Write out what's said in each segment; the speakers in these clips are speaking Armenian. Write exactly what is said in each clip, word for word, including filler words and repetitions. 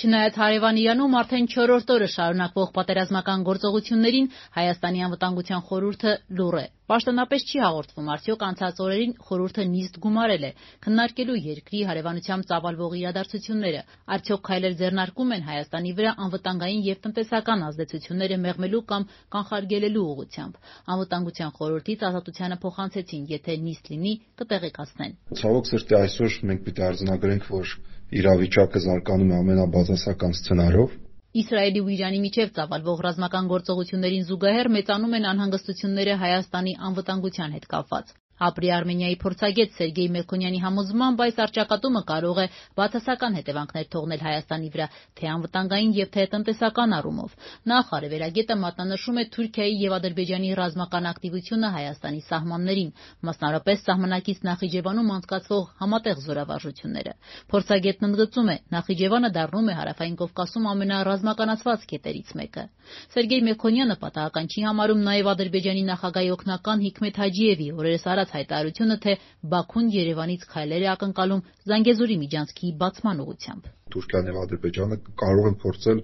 Չնայած հարևան Իրանում արդեն չորրորդ օրը շարունակվող պատերազմական գործողություններին Հայաստանի անվտանգության խորհուրդը լուռ է։ Պաշտոնապես չի հաղորդվում, արդյոք անցած օրերին խորհուրդը նիստ գումարել է քննարկելու երկրի հարևանությամբ ծավալվող իրադարձությունները, արդյոք քայլեր ձեռնարկում են Հայաստանի վրա անվտանգային եւ տնտեսական ազդեցությունները մեղմելու կամ կանխարգելելու ուղղությամբ։ Անվտանգության խորհրդից Ազատությանը փոխանցեցին, եթե նիստ լինի, կտեղեկացնեն։ Ցավոք սրտի այսօր մենք պիտի արձանագրենք, որ իրավիճակը զարգանում է ամենաբացասական սցենարով։ Իսրայելի ու Իրանի միջև ծավալվող ռազմական գործողություններին զուգահեռ մեծանում են անհանգստությունները Հայաստանի անվտանգության հետ կապված։ Ապրի Արմենիայի փորձագետ Սերգեյ Մելքոնյանի համոզմամբ այս առճակատումը կարող է բացասական հետևանքներ թողնել Հայաստանի վրա, թե անվտանգային եւ թե տնտեսական առումով։ Նախ արևելագետը մատնանշում է Թուրքիայի եւ Ադրբեջանի ռազմական ակտիվությունը Հայաստանի սահմաններին, մասնավորապես սահմանակից Նախիջևանում անցկացվող համատեղ զորավարժությունները։ Փորձագետն ընդգծում է, Նախիջևանը դառնում է Հարավային Կովկասում ամենառազմականացված կետերից մեկը։ Սերգեյ Մելքոնյանը պատահական չի համարում նաեւ Ադրբեջանի նախագահի օգնական Հիկմեթ Հաջիևի օրերս արած հայտարարությունը, թե Բաքուն Երևանից քայլեր է ակնկալում Զանգեզուրի միջանցքի բացման ուղղությամբ։ Թուրքիան եւ Ադրբեջանը կարող են փորձել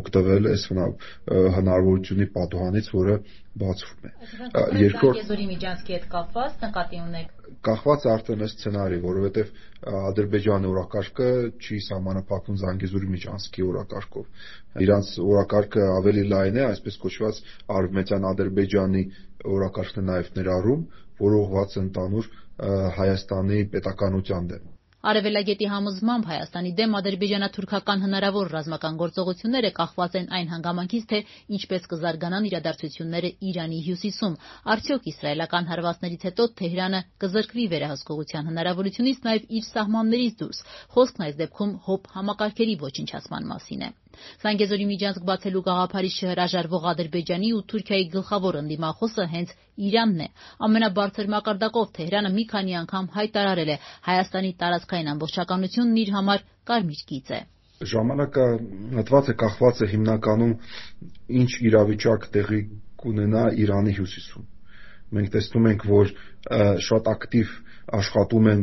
օգտվել այս հնարավորությունի պատուհանից, որը բացվում է։ Երկրորդ Զանգեզուրի միջանցքի հետ կապված նկատի ունեք։ Կախված արդեն այս սցենարի, որովհետեւ Ադրբեջանի օրակարգը չի սահմանափակվում Զանգեզուրի միջանցքի օրակարգով։ Իրանց օրակարգը ավելի լայն է, այսպես կոչված Արևմտյան Ադրբեջանի օրակարգն է նաեւ ներառում, որը ուղղված է ընդհանուր Հայաստանի պետականության դեմ։ Արևելագետի համոզմամբ Հայաստանի դեմ ադրբեջանա-թուրքական հնարավոր ռազմական գործողությունները կախված են այն հանգամանքից, թե ինչպես կզարգանան իրադարձությունները Իրանի հյուսիսում։ Արդյոք իսրայելական հարվածներից հետո Թեհրանը կզրկվի վերահսկողության հնարավորությունից նաև իր սահմաններից դուրս։ Խոսքն այս դեպքում հոբ համակարգերի ոչնչացման մասին է։ Զանգեզուրի միջանցք բացելու գաղափարից չհրաժարվող Ադրբեջանի ու Թուրքիայի գլխավոր ընդդիմախոսը հենց Իրանն է։ Ամենաբարձր մակարդակով Թեհրանը մի քանի անգամ հայտարարել է, Հայաստանի տարածքային ամբողջականությունն իր համար կարմիր գիծ է։ Ժամանակը մտված է կախված է հիմնականում ինչ իրավիճակ տեղի կունենա Իրանի հյուսիսում։ Մենք տեսնում ենք, որ շատ ակտիվ աշխատում են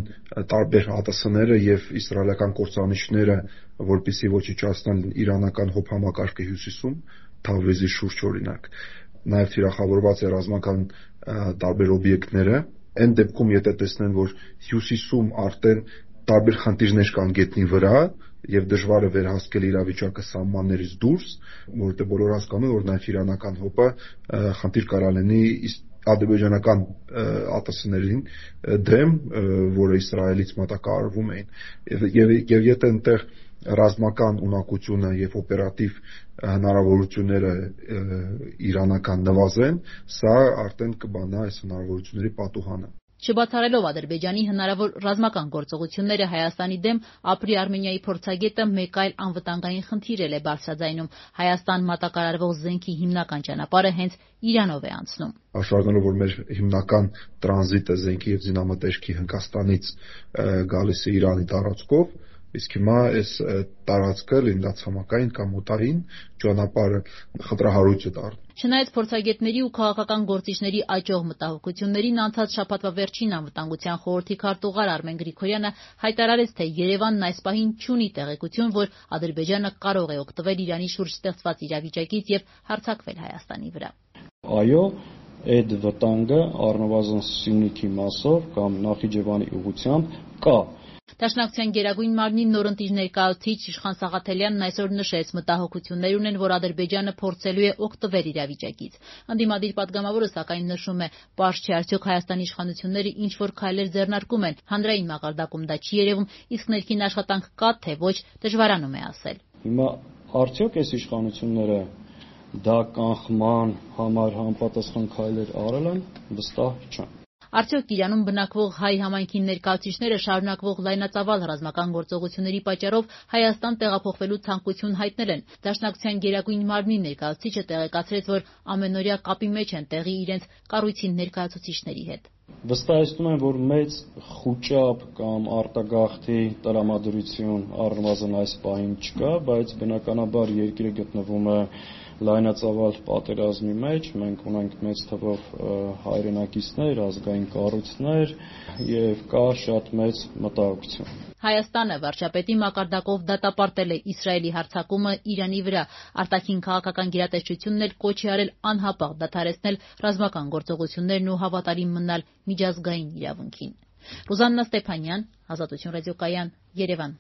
տարբեր ՀԱՏՍ-ները եւ իսրայելական կործանիչները, որպեսզի ոչնչացնեն իրանական հոբ համակարգը հյուսիսում, Թավրիզի շուրջ օրինակ։ Նաեւ թիրախավորված է ռազմական տարբեր օբյեկտները։ Այն դեպքում, եթե տեսնեն, որ հյուսիսում արդեն տարբեր խնդիրներ կան գետնի վրա եւ դժվար է վերահսկել իրավիճակը սահմաններից դուրս, որովհետեւ բոլորը հասկանում են, որ նաեւ իրանական հոբը խնդիր կարող լինի ադրբեջանական ԱՏՍ-ներին դեմ, որը Իսրայելից մատակարարվում էին, եւ եւ եթե այնտեղ ռազմական ունակությունը եւ օպերատիվ հնարավորությունները իրանական նվազեն, սա արդեն կբանա այս հնարավորությունների պատուհանը։ Չբացառելով Ադրբեջանի հնարավոր ռազմական գործողությունները Հայաստանի դեմ, Ապրի Արմենիայի փորձագետը մեկ այլ անվտանգային խնդիր էլ է բարձրաձայնում։ Հայաստան մատակարարվող զենքի հիմնական ճանապարհը հենց Իրանով է անցնում։ Հաշվառելով, որ մեր հիմնական տրանզիտը զենքի եւ զինամթերքի Հնդկաստանից գալիս է Իրանի տարածքով, իսկ հիմա այս տարածքը լինած համակային կամ օտարին ճանապարհը խնդրահարույց է դառնում։ Չնայած փորձագետների ու քաղաքական գործիչների աճող մտահոգություններին, անցած շաբաթվա վերջին անվտանգության խորհրդի քարտուղար Արմեն Գրիգորյանը հայտարարեց, թե Երևանն այս պահին չունի տեղեկություն, որ Ադրբեջանը կարող է օգտվել Իրանի շուրջ ստեղծված իրավիճակից եւ հարձակվել Հայաստանի վրա։ Այո, այդ վտանգը առնվազն Սյունիքի մասով կամ Նախիջևանի ուղղությամբ կա։ Դաշնակցության գերագույն մարմնի նորընտիր ներկայացուցիչ Իշխան Սաղաթելյանն այսօր նշեց, մտահոգություններ ունեն, որ Ադրբեջանը փորձելու է օգտվել իրավիճակից։ Ընդդիմադիր պատգամավորը սակայն նշում է, պարզ չէ արդյոք Հայաստանի իշխանությունները ինչ որ քայլեր ձեռնարկում են, հանրային մակարդակում դա չի երևում, իսկ ներքին աշխատանք կա, թե ոչ, դժվարանում է ասել։ Հիմա արդյոք այս իշխանությունները դա կանխման համար համապատասխան քայլեր արել են, վստահ չեմ։ Արդյոք Իրանում բնակվող հայ համայնքի ներկայացուցիչները շարունակվող լայնածավալ ռազմական գործողությունների պատճառով Հայաստան տեղափոխվելու ցանկություն հայտնել են։ Դաշնակցության գերագույն մարմնի ներկայացուցիչը տեղեկացրեց, որ ամենօրյա կապի մեջ են տեղի իրենց կառույցի ներկայացուցիչների հետ։ Վստահեցնում եմ, որ մեծ խուճապ կամ արտագաղթի տրամադրություն առնվազն այս պահին չկա, բայց բնականաբար երկիրը գտնվում է լայնածավալ պատերազմի մեջ, մենք ունենք մեծ թվով հայրենակիցներ, ազգային կառույցներ եւ կա շատ մեծ մտահոգություն։ Հայաստանը վարչապետի մակարդակով դատապարտել է Իսրայելի հարձակումը Իրանի վրա, արտաքին քաղաքական գերատեսչությունն էլ կոչ է արել անհապաղ դադարեցնել ռազմական գործողություններն ու հավատարիմ մնալ միջազգային իրավունքին։ Ռուզաննա Ստեփանյան, Ազատություն ռադիոկայան, Երևան։